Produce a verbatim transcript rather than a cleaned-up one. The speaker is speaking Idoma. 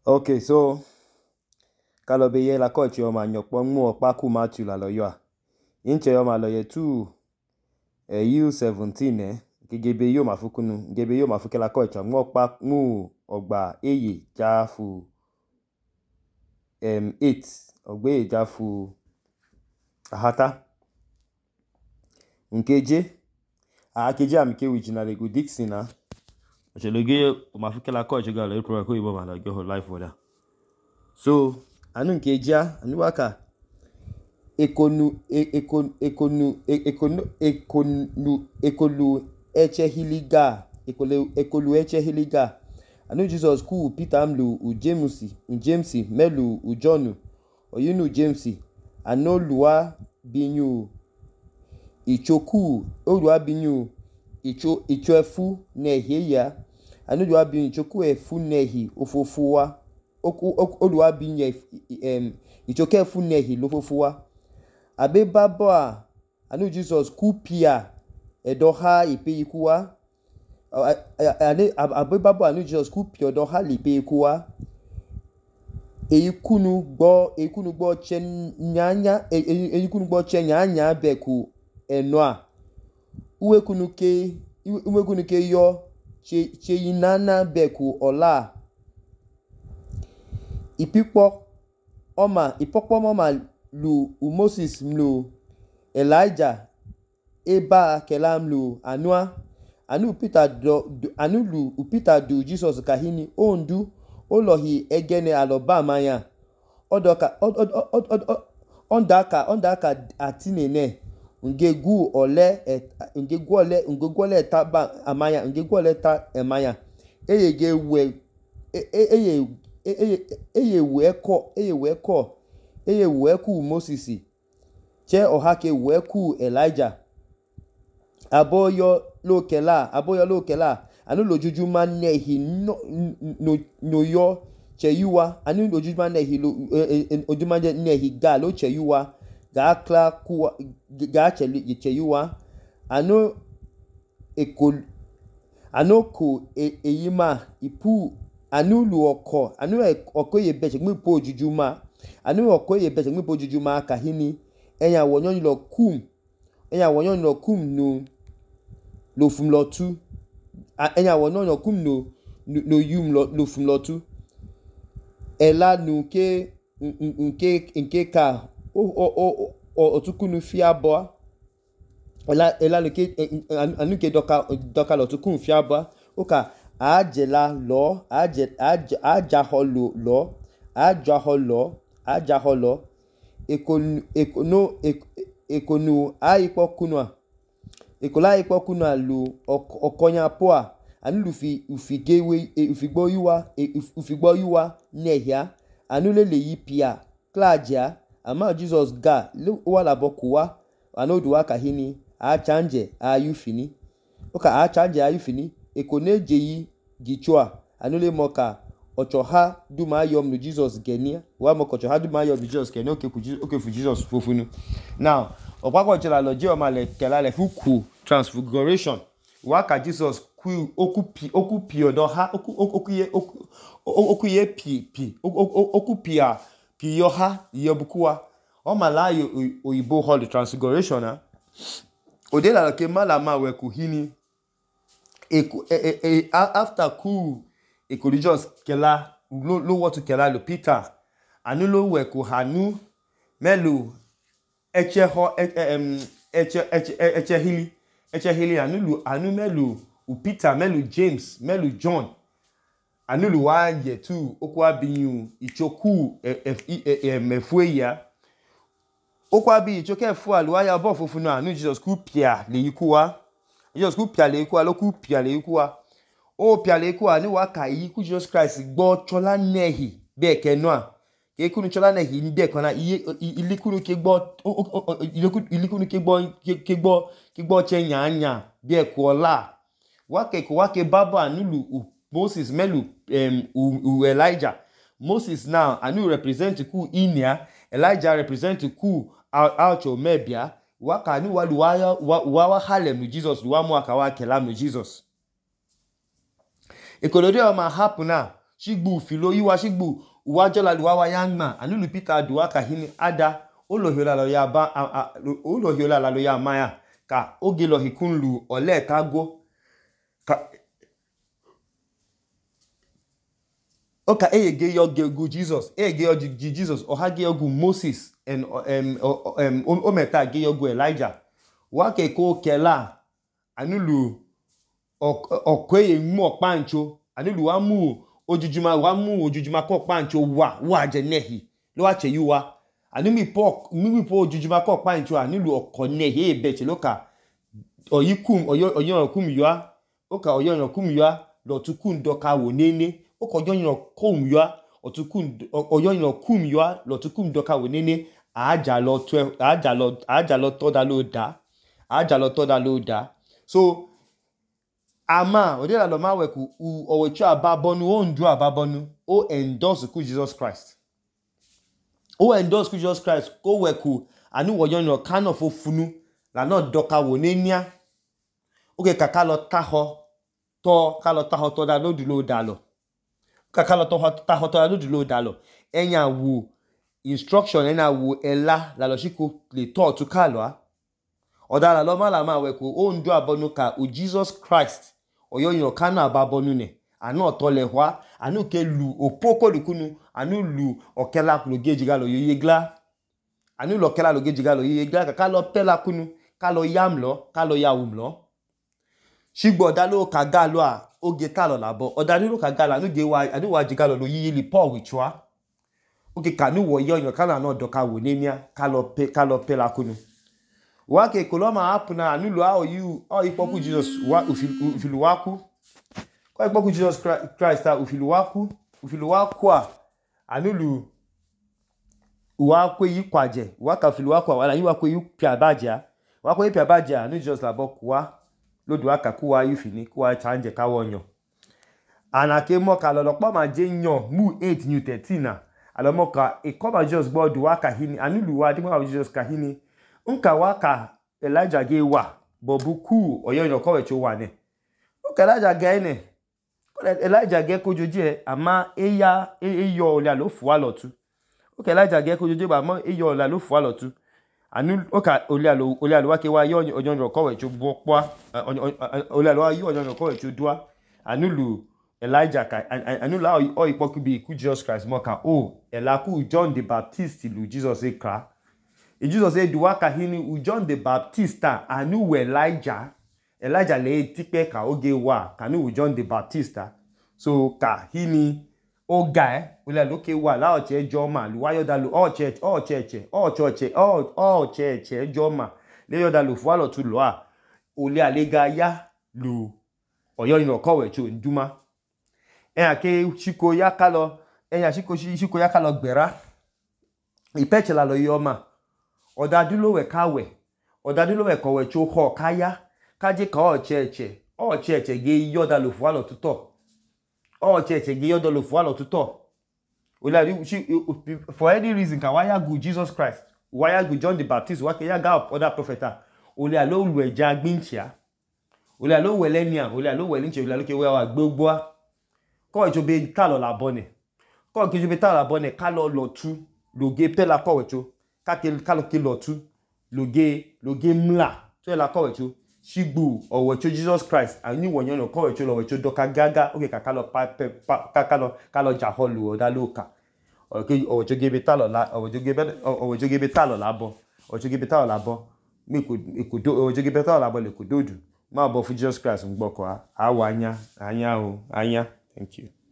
Okay, so kalau be ye la ko che o ma nyokpo mu opa ku Matthew la lo yo a. Inche yo ma lo ye two eh U seventeen eh gege yo ma fukunu, gebe yo ma fuke la ko che mu opa mu ogba eye jafu em eight ogba eye jafu ahata. Nkeje a keje am ke original go Dixon na. Je le ge o ma fuke la ko che ga le pro ko ibo ma la go life for that. So anu nkeja anu waka ekonu ekonu ekonu ekonu ekonu ekolu eche hiliga ekolu ekolu eche hiliga anu Jesus ku Peter amlu u James u James melu u John oyinu James anu luwa binyu ichoku oluwa binyu icho icho efu nehi ya anu luwa binyu ichoku efu nehi ofofuwa oku oluwa binye em ichoku efu nehi lofofuwa abe babo a anu Jesus ku pia edoha ipe ikuwa ane abe babo anu Jesus ku pia edoha lipe ikuwa eikunu gbo eikunu gbo chenyanya eikunu gbo chenyanya beku enoa uwekunu ke uwekunu ke yo che cheyinana beku ola ipikpo oma ipokpo mama lu u Moses mlu Elijah eba kelam lu anua anu Peter do anu lu u Peter du Jesus kahini ondu olohi egene alobama ya odoka ondaka ondaka atinene ngegu ole ngegu ole ngegu ole taba amaya ngegu ole ta amaya eyege we eye eye eye we ko eye we ko eye we ku Moses che ohake we ku Elijah aboyo lokela aboyo lokela anu lojujuma nehi no no no yo cheyuwa anu lojujuma nehi lo ojuma nehi ga lo cheyuwa ga kla ku ga cheli cheyuwa anu ekol anu ko eyima ipu anu lu oko anu oko ye beche gmi po ojujuma anu oko ye beche gmi po ojujuma kahini eyan wonyon lo kum eyan wonyon lo kum no lo fum lo tu eyan wonyon lo kum no no yum lo lo fum lo tu ela nu ke nke nke ka o o o otukunu fiabo ela ela le ke anu ke doka doka lo tukun fiabo oka ajela lo aje ajaholo lo ajaholo ajaholo ekonu ekono ekonu aipokunwa ekola aipokunwa lu okonya poa anu lufi ufigewe ufigbo yuwa ufigbo yuwa nehia anu lele yipia klaja ama Jesus ga wala bokuwa anu duwa kahini a chanje ayufini oka a chanje ayufini ekoneje yi gichwa anule moka ochoha duma yom no Jesus genia wa moka ochoha duma yom no Jesus genia oke ku oke fu Jesus fofunu now opako chela loje o ma le kela le fuku transfiguration wa ka Jesus ku okupi okupi odo ha okuye okuye pi pi okupia pi yo ha yobukuwa o ma la oyibo hall transfiguration na odela ke mala ma we ku hini Eko, e, e, e, after ku eko Jesus kela lo lo what kela lo Peter anu lo we ko hanu melu eche ho em eche eche eche hili eche hili anu lu anu melu u Peter melu James melu John anu lu wa ye tu okwa biyu ichoku emefue ya okwa bi ichoke efu alu aya bo fofunu anu Jesus ku pia le yikuwa Jesus ku pia le ikuwa lo ku pia le ikuwa o pia le ikuwa ni wa ka yi ku Jesus Christ gbo chola nehi be ke noa ke kunu chola nehi nde kan na iye ilikunu ke gbo ilikunu ke gbo ke gbo ke gbo chenya anya be ko la wa ke ko wa ke baba anulu Moses melu um u Elijah Moses now anu represent ku inia Elijah represent ku out of mebia waka ni walu wa wa wa halem no Jesus wa mu aka wa kelam no Jesus ekolode o ma happen na shigbu ufilo yiwa shigbu uwajola luwa ya ngma anulu Peter duwa kahini ada olohiola lo ya ba olohiola lo ya maya ka oge lo hikun lu ole tago ka oka eyege yogu Jesus eyege yogu Jesus ohage yogu Moses and um um ometa ge yogu Elijah wake ko kela anulu okweye mu opancho anulu wa mu ojujuma wa mu ojujuma ko pancho wa wa je nehi lo wa che yuwa anu mi po mi po ojujuma ko pancho anulu okone he be che loka oyikum oyo oyo kum yuwa oka oyo yo kum yuwa lo tukun doka wo nene oka oyo yo kum yuwa otukun oyo yo kum yuwa lo tukun doka wo nene aja lo twelve aja lo aja lo to da lo da aja lo to da lo da so ama odela lo ma weku owechu ababonu o ndu ababonu o endorse ku Jesus Christ o endorse ku Jesus Christ ko weku anu wo yon kan of ofunu la no doka wo nenia oke kaka lo taho to ka lo taho to da lo du lo da lo kaka lo to taho to da lo du lo da lo enya wo instruction enya wo ela la lo shiko le to tu ka lo a odala lo ma la ma weku o ndu abonu ka o Jesus Christ oyo yon kan ababonu ne anu otole hwa anu ke lu opoko lukunu anu lu okela lo gejiga lo yegla anu lo okela lo gejiga lo yegla ka lo pela kunu ka lo yam lo ka lo yawum lo shigbo dalo ka ga lo a oge ta lo labo odari lo ka ga la anu ge wa anu wa jiga lo yili Paul wichwa oge kanu wo yon kan na no doka wo nemia ka lo pe ka lo pela kunu wake koloma hapuna anu lo a oyu o ipoku Jesus wa ufilu waku kwa ipoku Jesus Christ a ufilu waku ufilu waku a anulu wakwe yikwaje waka ufilu waku wala yiwakwe yupiabaja wakwe yupiabaja anu Jesus labo kwa lodu aka kuwa yufini kuwa chanje ka wonyo anake mo ka lolopo ma je yan mu eight new thirteen alomo ka e koba Jesus gbodu waka hini anulu wa dimo Jesus ka hini nka waka Elijah ge wa bobuku oyo yo kowe cho wa ne nka Elijah ge ne Elijah ge kojoji e ama eya eyo ole alo fu wa lotu nka Elijah ge kojoji ba ama eyo ole alo fu wa lotu anu oka ole alo ole alo wa ke wa yo oyo yo kowe cho bopo ole alo wa yo oyo yo kowe cho dua anulu Elijah ka anulu o ipoku bi ku Jesus Christ mo ka o elaku John the Baptist lu Jesus e kra e Jesus said duwaka hini u John the Baptist anu we Elijah Elijah le tipe ka oge wa kanu u John the Baptist so ka hini oga e ole loke wa la oche joma lu wayo da lu o church o church o church o o church joma le yo da lu fu alo tu lo a ole alega ya lu oyo ino kowe chu nduma e ake chiko yakalo e ya chiko chiko yakalo gbera ipeche la lo yoma odadulo we kawe odadulo we kowe cho ho kaya kaje ka o cheche o cheche ge yoda lo fu alo tuto o cheche ge yoda lo fu alo tuto ola for any reason ka waya go Jesus Christ waya go John the Baptist wa ke ya ga other prophet ole alo lu eja gbinchia ole alo welenia ole alo welinche ole alo ke we wa gbogbo ko jo be ta lo labo ne ko ke jo be ta lo labo ne ka lo lo tu lo ge pela ko we cho ka ke ka lo ke lo tu lo ge lo ge mla so la ko we cho shigbu owo cho Jesus Christ ani wonyo no ko we cho lo we cho doka gaga o ke ka ka lo pa ka ka lo ka lo ja holu o da loka o ke owo cho ge be ta lo la owo jo ge be owo jo ge be ta lo labo owo jo ge be ta lo labo mi ko ko do owo jo ge be ta lo labo le ko dodu ma bo fu Jesus Christ ngbo ko a wa anya anya o anya thank you.